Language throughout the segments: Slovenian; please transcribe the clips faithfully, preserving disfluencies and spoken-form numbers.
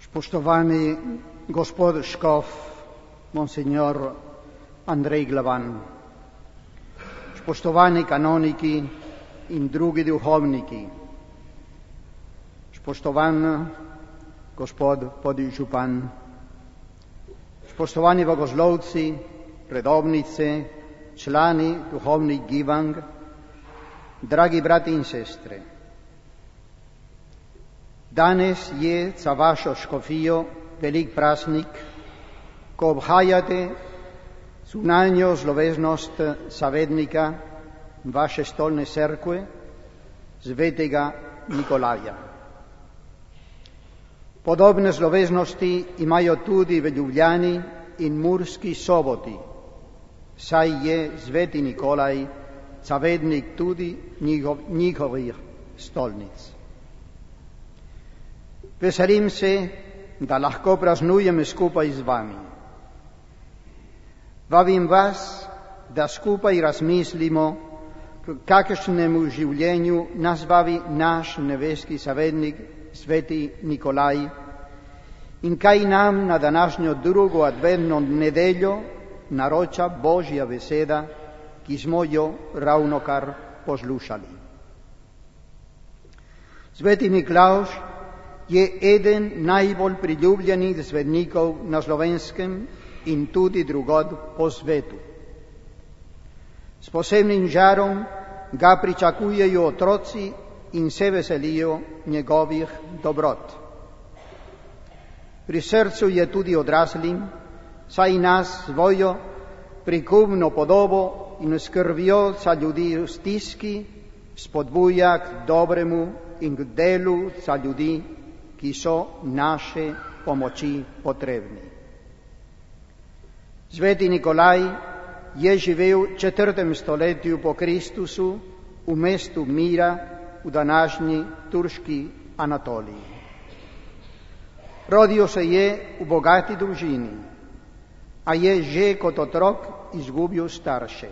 Spoštovani gospod škof, monsignor Andrej Glavan, spoštovani kanoniki in drugi duhovniki, spoštovan gospod podžupan, spoštovani bogoslovci, redovnice, člani duhovnih gibanj, dragi brati in sestre. Danes je za vašo škofijo velik praznik, ko obhajate zunanjo slovesnost zavednika vaše stolne cerkve, svetega Nikolaja. Podobne slovesnosti imajo tudi v Ljubljani in Murski Soboti, saj je sveti Nikolaj zavednik tudi njihov, njihovih stolnic. Veselim se, da lahko praznujem skupaj z vami. Vabim vas, da skupaj razmislimo, k kakšnemu življenju nas vabi naš nebeski zavednik, sveti Nikolaj, in kaj nam na današnjo drugo adventno nedeljo naroča Božja beseda, ki smo jo ravnokar poslušali. Sveti Miklavž je eden najbolj priljubljenih svetnikov na Slovenskem in tudi drugod po svetu. S posebnim žarom ga pričakujejo otroci in se veselijo njegovih dobrot. Pri srcu je tudi odraslim, saj nas svojo prikupno podobo in skrbjo za ljudi v stiski spodbuja k dobremu in k delu za ljudi, ki so naše pomoči potrebni. Sveti Nikolaj je živel v četrtem stoletju po Kristusu v mestu Mira v današnji turški Anatoliji. Rodil se je v bogati družini, a je že kot otrok izgubil starše.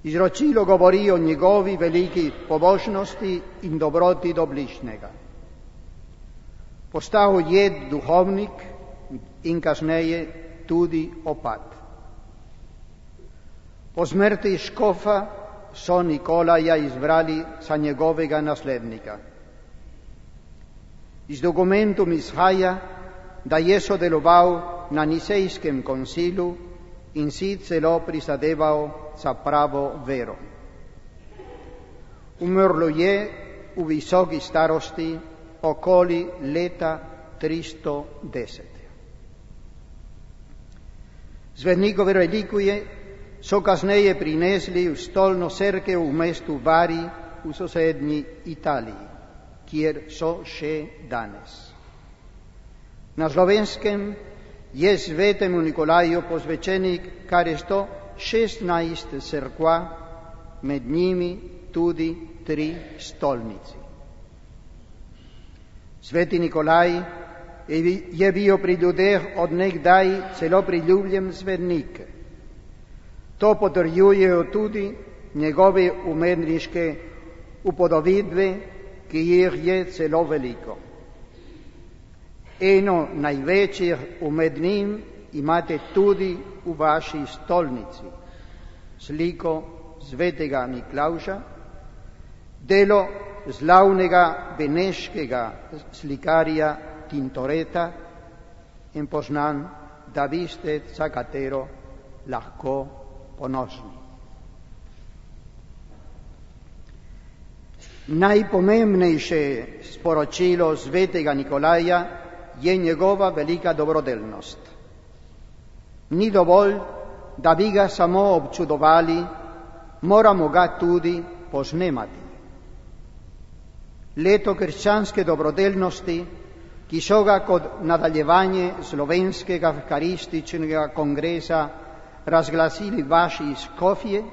Izročilo govori o njegovi veliki pobožnosti in dobroti do bližnjega. Postal je duhovnik in kasneje tudi opat. Po smrti škofa so Nikolaja izbrali za njegovega naslednika. Iz dokumentov izhaja, da je sodeloval na Nicejskem koncilu in si celo prizadeval za pravo vero. Umrlo je v visoki starosti okoli leta tristo deset. Svetnikove relikvije so kasneje prinesli v stolno cerkev v mestu Bari v sosednji Italiji, kjer so še danes. Na Slovenskem je svetemu Nikolaju posvečenih kar sto šestnajst cerkva, med njimi tudi tri stolnici. Sveti Nikolaj je bil pri ljudeh od nekdaj celo priljubljen svetnik. To potrjujejo tudi njegove umetniške upodobitve, ki jih je celo veliko. Eno največjih umetnin imate tudi v vaši stolnici, sliko svetega Miklavža, delo slavnega beneškega slikarja Tintoreta in poznan, da vi ste za katero lahko ponosni. Najpomembnejše sporočilo svetega Nikolaja je njegova velika dobrodelnost. Ni dovolj, da bi ga samo občudovali, moramo ga tudi posnemati. Leto krščanske dobrodelnosti, ki so ga kot nadaljevanje slovenskega evharističnega kongresa razglasili vaši škofje,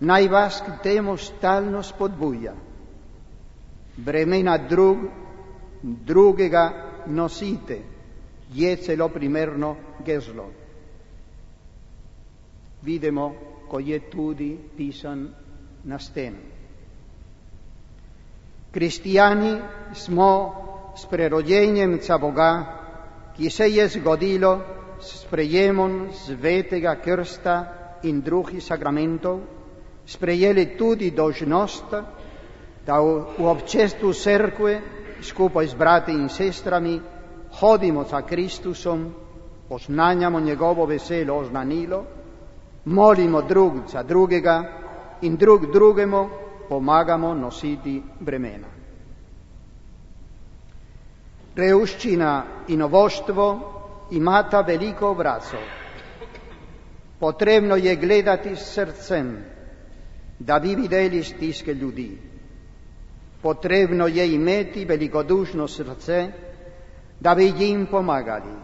naj vas k temu stalno spodbuja. Bremena drug, drugega nosite, je celo primerno geslo. Vidimo, ko je tudi pisan na steni. Kristijani smo s prerođenjem ca Boga, ki se je zgodilo s sprejemom svetega krsta in drugih sakramentov, sprejeli tudi dožnost, da v občestvu cerkve skupaj z brati in sestrami hodimo za Kristusom, oznanjamo njegovo veselo oznanilo, molimo drug za drugega in drug drugemu pomagamo nositi bremena. Revščina in ovoštvo imata veliko obrazov. Potrebno je gledati s srcem, da bi videli stiske ljudi. Potrebno je imeti velikodušno srce, da bi jim pomagali.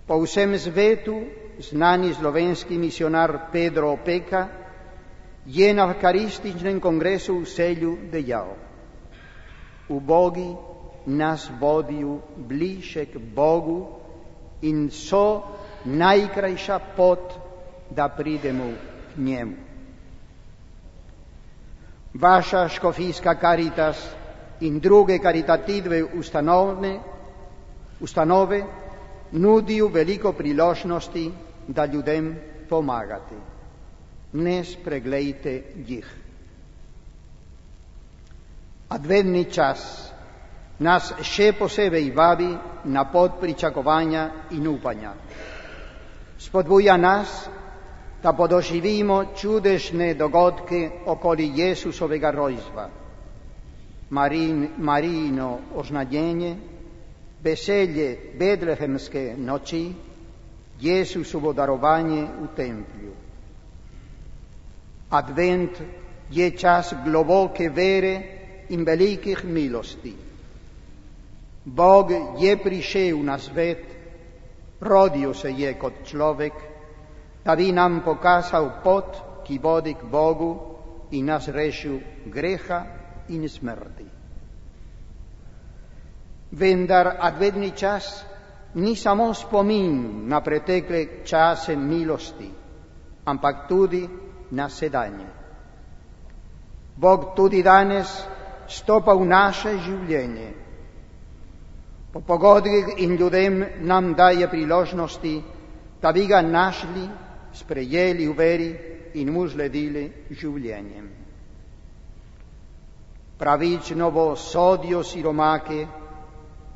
Po vsem svetu znani slovenski misionar Pedro Opeka je na Evkarističnem kongresu v Celju dejal: ubogi nas vodijo bliže k Bogu in so najkrajša pot, da pridemo k njemu. Vaša škofijska Caritas in druge karitativne ustanove, ustanove nudijo veliko priložnosti, da ljudem pomagate. Ne spregledajte jih. Adventni čas nas še posebej vabi na pot pričakovanja in upanja. Spodbuja nas, da podoživimo čudežne dogodke okoli Jesusovega rojstva, Marin, Marijino oznanjenje, veselje betlehemske noči, Jesusovo darovanje v templju. Advent je čas globoke vere in velikih milosti. Bog je prišel na svet, rodil se je kot človek, da bi nam pokazal pot, ki vodi k Bogu in nas rešil greha in smrti. Vendar adventni čas ni samo spomin na pretekle čase milosti, ampak tudi na sedanje. Bog tudi danes stopa v naše življenje. Po pogodbah in ljudem nam daje priložnosti, da bi ga našli, sprejeli v veri in mu sledili življenjem. Pravično bo sodijo siromake,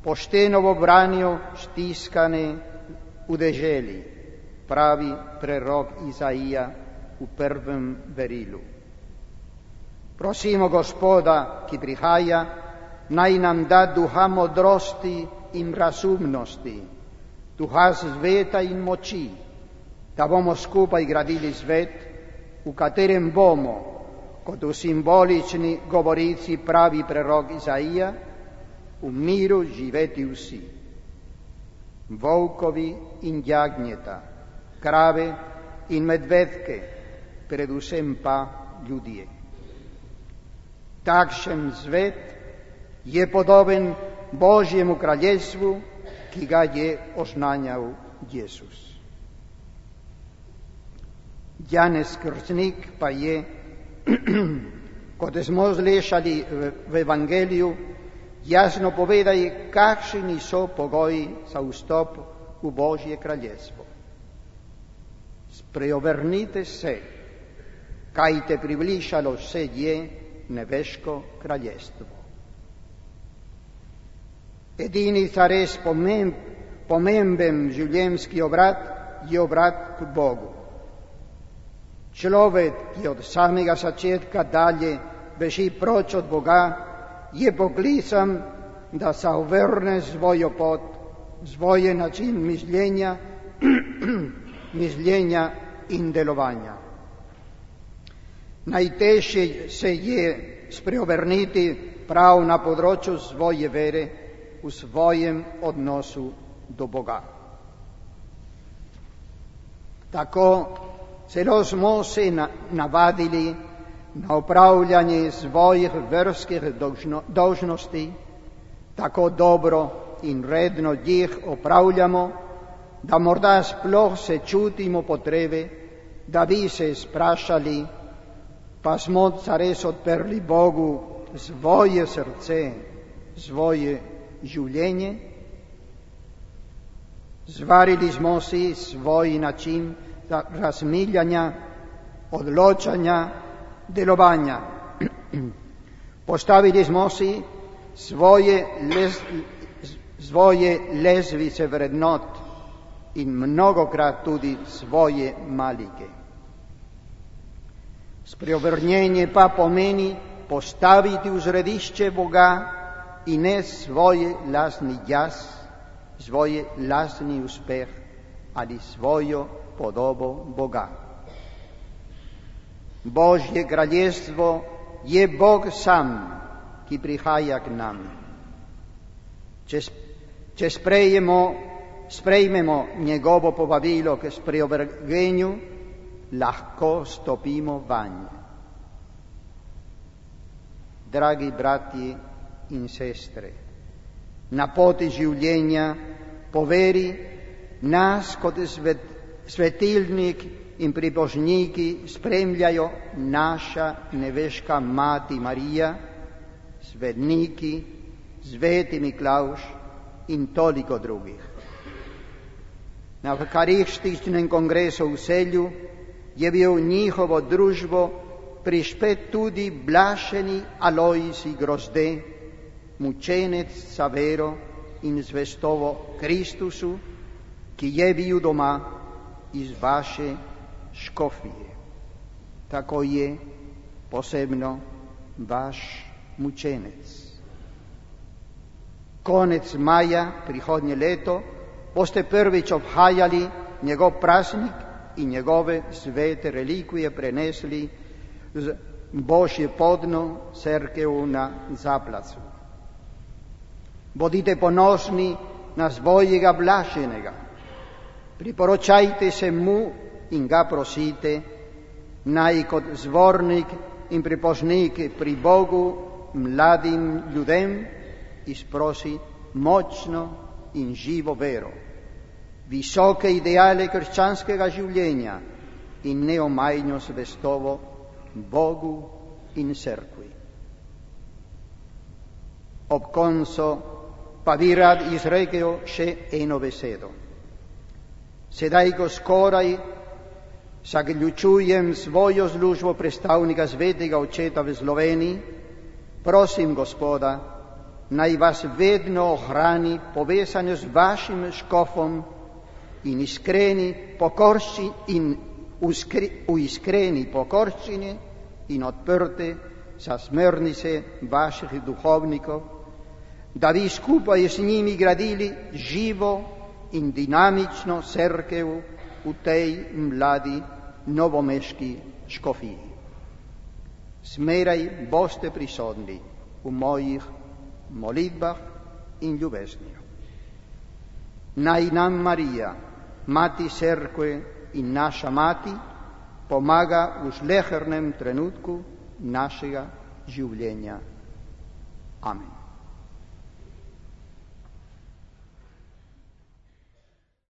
pošteno bo branijo stiskane v deželi, pravi prerok Izaija v prvem verilu. Prosimo Gospoda, ki prihaja, naj nam da duha modrosti in razumnosti, duha sveta in moči, da bomo skupaj gradili svet, v katerem bomo, kot v simbolični govorici pravi prerok Izaija, v miru živeti vsi. Volkovi in jagnjeta, krave in medvedke, predvsem pa ljudje. Takšen svet je podoben Božjemu kraljestvu, ki ga je oznanjal Jezus. Janez Krstnik pa je, kot smo slišali v Evangeliju, jasno povedal, kakšni so pogoji za vstop v Božje kraljestvo. Spreobrnite se, kaj te približalo se je nebeško kraljestvo. Edini zares pomemb, pomemben življenjski obrat je obrat k Bogu. Človek, ki od samega začetka dalje beži proč od Boga, je poklican, da se obrne svojo pot, svoj način mišljenja, mišljenja in delovanja. Najtežje se je spreobrniti prav na področju svoje vere, v svojem odnosu do Boga. Tako celo smo se navadili na upravljanje svojih verskih dolžnosti, tako dobro in redno jih opravljamo, da morda sploh se čutimo potrebe, da bi se sprašali, pa smo zares odprli Bogu svoje srce, svoje življenje, zvarili smo si svoj način razmišljanja, odločanja, delovanja. Postavili smo si svoje, lez, svoje lezvice vrednot in mnogokrat tudi svoje malike. Spreobrnjenje pa pomeni postaviti v središče Boga in ne svoj lastni jaz, svoj lastni uspeh ali svojo podobo Boga. Božje kraljestvo je Bog sam, ki prihaja k nam. Če, če sprejemo, sprejmemo njegovo povabilo k spreobrnjenju, lahko stopimo vanj. Dragi bratji in sestre, na poti življenja po veri nas kot svet, svetilnik in pribožniki spremljajo naša nebeška Mati Marija, svetniki, sveti Miklavž in toliko drugih. Na Evharističnem kongresu v Celju je bil v njihovo družbo prišpet tudi blaženi Alojzij Grozde, mučenec za vero in zvestobo Kristusu, ki je bil doma iz vaše škofije. Tako je posebno vaš mučenec. Konec maja prihodnje leto boste prvič obhajali njegov praznik in njegove svete relikvije prenesli z Božje podno cerkev na Zaplacu. Bodite ponosni na svojega blaženega, priporočajte se mu in ga prosite, naj kot zvornik in pripožnik pri Bogu mladim ljudem izprosi močno in živo vero, visoke ideale krščanskega življenja in neomajno zvestobo Bogu in cerkvi. Ob koncu pa bi rad izrekel še eno besedo. Sedaj, ko skoraj zaključujem svojo službo predstavnika svetega očeta v Sloveniji, prosim Gospoda, naj vas vedno ohrani povezano z vašim škofom in iskreni pokorščini in v iskreni pokorščini in odprte za smernice vaših duhovnikov, da bi skupaj z njimi gradili živo in dinamično cerkev v tej mladi novomeški škofiji. Smeraj boste prisotni v mojih molitvah in ljubezni. Naj nam Marija, Mati cerkve in naša Mati, pomaga v slehernem trenutku našega življenja. Amen.